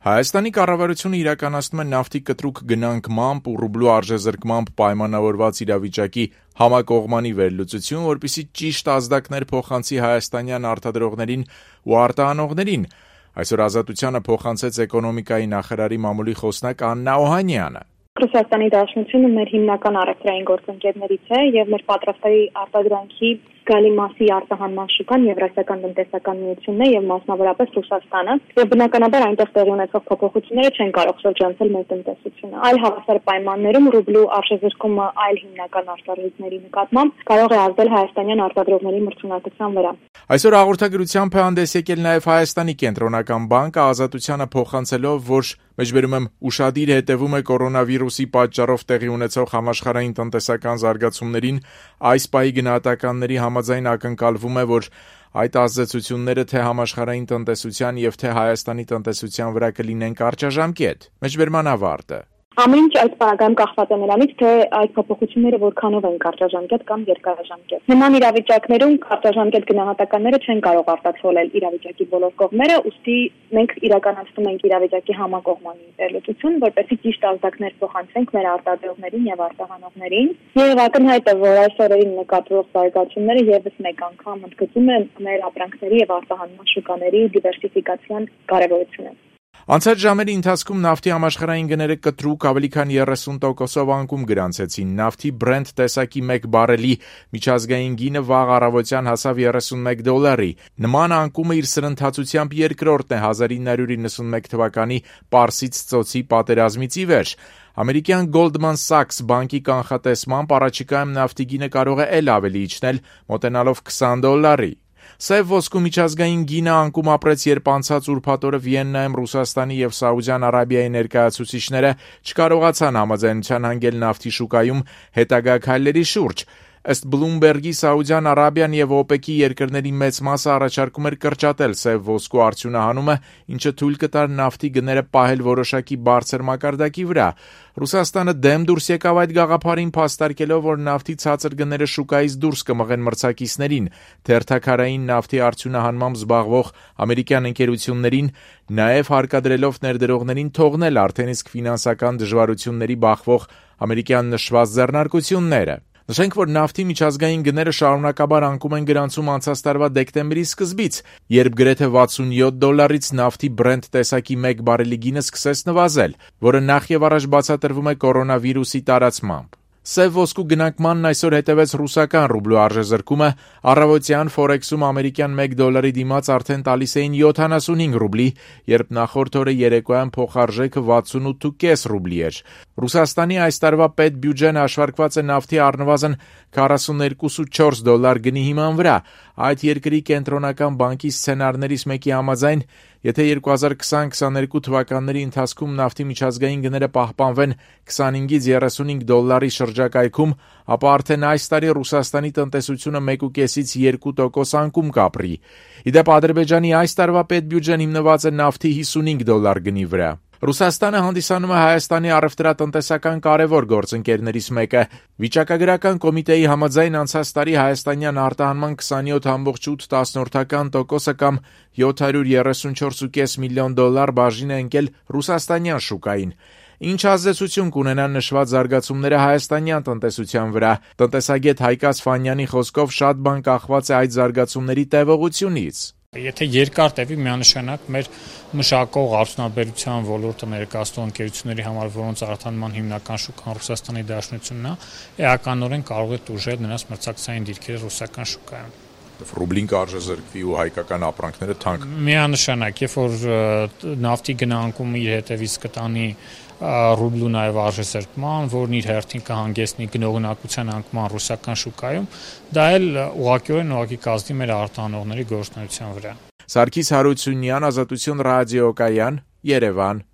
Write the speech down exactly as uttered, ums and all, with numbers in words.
Հայաստանի կառավարությունը իրականացնում է նավթի կտրուկ գնանկմամբ ու ռուբլու արժեզրկմամբ պայմանավորված իրավիճակի համակողմանի վերլուծություն, որպեսզի ճիշտ ազդակներ փոխանցի հայաստանյան արտադրողներին ու արտահանողներին։ Այսօր Ազատությանը փոխանցեց էկոնոմիկայի նախարարի մամուլի խոսնակ Աննա Օհանյանը։ Ռուսաստանի Դաշնությունը մեր հիմնական առևտրային գործընկերներից է եւ մեր պատրաստների արտադրանքի գալի մասի արտահանման շուկան Եվրասիական տնտեսական միությունն է եւ մասնավորապես Ռուսաստանը, եւ բնականաբար այնտեղ տեղի ունեցող փոփոխությունները չեն կարող շրջանցել մեր տնտեսությունը։ Այլ հավասար պայմաններում ռուբլու արժեզրկումը այլ հիմնական արտարժույթների նկատմամբ կարող է ազդել հայաստանյան արտադրողների մրցունակության վրա։ Այսօր հաղորդագրությամբ է հանդես եկել նաև Հայաստանի կենտրոնական բանկը Ազատությանը փոխանցելով, որ մեջբերում եմ ուշադիր հետևում է կորոնավիրուսի պատճառով տեղի ունեցող համաշխարհային տնտեսական զարգացումներին, այս պահի գնահատականների համաձայն ակնկալվում է, որ այդ ազդեցությունները թե համաշխարհային տնտեսության եւ թե Հայաստանի տնտեսության վրա կլինեն կարճաժամկետ։ Մեջբերման ավարտը։ Ամեն ինչ այդ պարագայում կախված է նրանից, թե այդ փոփոխությունները որքանով են կարճաժամկետ կամ երկարաժամկետ։ Նման իրավիճակներում կարճաժամկետ գնահատականները չեն կարող արտացոլել իրավիճակի բոլոր կողմերը, ուստի մենք իրականացնում ենք իրավիճակի համակողմանի վերլուծություն, որպեսզի ճիշտ ազդակներ փոխանցենք մեր արտադրողներին եւ արտահանողներին։ Եվ ակնհայտ է, որ այս օրերին նկատվող զարգացումները եւս մեկ անգամ ընդգծում են մեր ապրանքների եւ արտահանման շուկաների դիվերսիֆիկացիան կարեւորությունը։ Անցած ժամերի ընթացքում նավթի համաշխարհային գները կտրուկ ավելի քան երեսուն տոկոսով անկում գրանցեցին։ Նավթի Brent տեսակի մեկ բարելի միջազգային գինը վաղ առավոտյան հասավ երեսունմեկ դոլարի։ Նման անկումը իր սրընթացությամբ երկրորդն է հազար ինը հարյուր իննսունմեկ թվականի Պարսից ծոցի պատերազմից ի վեր։ Ամերիկյան Goldman Sachs բանկի կանխատեսմամբ առաջիկայում նավթի գինը կարող է էլ ավելի իջնել, մոտենալով քսան դոլարի։ Սև ոսկու միջազգային գինը անկում ապրեց, երբ անցած ուրբաթ օրը Վիեննայում Ռուսաստանի եւ Սաուդյան Արաբիայի ներկայացուցիչները չկարողացան համաձայնության հանգել նավթի շուկայում հետագա քայլերի շուրջ։ Ըստ Bloomberg-ի Սաուդյան Արաբիան եւ օպեկի երկրների մեծ մասը առաջարկում էր կրճատել սև ոսկու արդյունահանումը, ինչը թույլ կտար նավթի գները պահել որոշակի բարձր մակարդակի վրա։ Ռուսաստանը դեմ դուրս եկավ այդ գաղափարին, փաստարկելով, որ նավթի ցածր գները շուկայից դուրս կմղեն մրցակիցներին, թերթաքարային նավթի արդյունահանմամբ զբաղվող ամերիկյան ընկերություններին, նաեւ հարկադրելով ներդրողներին թողնել արդեն իսկ ֆինանսական դժվարությունների բախվող ամերիկյան նշված ձեռնարկությունները։ Նշենք, որ նավթի միջազգային գները շարունակաբար անկում են գրանցում անցած տարվա դեկտեմբերի սկզբից, երբ գրեթե վաթսունյոթ դոլարից նավթի Brent տեսակի մեկ բարելի գինը սկսեց նվազել, որը նախ եւ առաջ բացատրվում է կորոնավիրուսի տարածմամբ։ Սև ոսկու գնանկմանն այսօր հետևեց ռուսական ռուբլու արժեզրկումը, առավոտյան Forex-ում ամերիկյան մեկ դոլարի դիմաց արդեն տալիս էին յոթանասունհինգ ռուբլի, երբ նախորդ օրը երեկոյան փոխարժեքը վաթսունութ կόμμα պենս ռուբլի էր։ Ռուսաստանի այս տարվա պետբյուջեն հաշվարկված է նավթի առնվազն քառասունութ երկու կόμma չորս դոլար գնի հիման վրա։ Այդ երկրի կենտրոնական բանկի սցենարներից մեկի համաձայն, եթե երկու հազար քսան քսաներկու թվականների ընթացքում նավթի միջազգային գները պահպանվեն քսանհինգից երեսունհինգ դոլարի շրջակայքում, ապա արդեն այս տարի Ռուսաստանի տնտեսությունը մեկ կόμma պենսից երկու տոկոս անկում կապրի։ Իդեպ Ադրբեջանի այս տարվա պետբյուջեն հիմնված է նավթի հիսունհինգ դոլար գնի վրա։ Ռուսաստանը հանդիսանում է Հայաստանի առևտրատնտեսական կարևոր գործընկերներից մեկը։ Վիճակագրական կոմիտեի համաձայն անցած տարի հայաստանյան արտահանման քսանյոթ կόμma ութ տոկոսը կամ յոթ հարյուր երեսունչորս կόμma պենս միլիոն դոլար բաժին է ընկել ռուսաստանյան շուկային։ Ինչ ազդեցություն կունենան նշված զարգացումները հայաստանյան տնտեսության վրա։ Տնտեսագետ Հայկ Ասֆանյանի խոսքով շատ բան կախված է այդ զարգացումների տևողությունից։ Եթե երկար տևի, միանշանակ մեր մշակող արդյունաբերության ոլորտը ներկայացնող ընկերությունների համար, որոնց արտահանման հիմնական շուկան Ռուսաստանի Դաշնությունն է, էականորեն կարող է տուժել նրանց մրցակցային դիրքերը ռուսական շուկայում։ Ռուբլին կարժեզրկվի ու հայկական ապրանքները թանկ։ Միանշանակ, երբ որ նավթի գնանկումը իր հետևից կտանի ռուբլու նաև արժեզրկման, որն իր հերթին կհանգեցնի գնողունակության անկման ռուսական շուկայում, դա էլ ուղղակիորեն ուղղակի կազդի մեր արտահանողների գործունեության վրա։ Սարգիս Հարությունյան, Ազատություն ռադիոկայան, Երևան։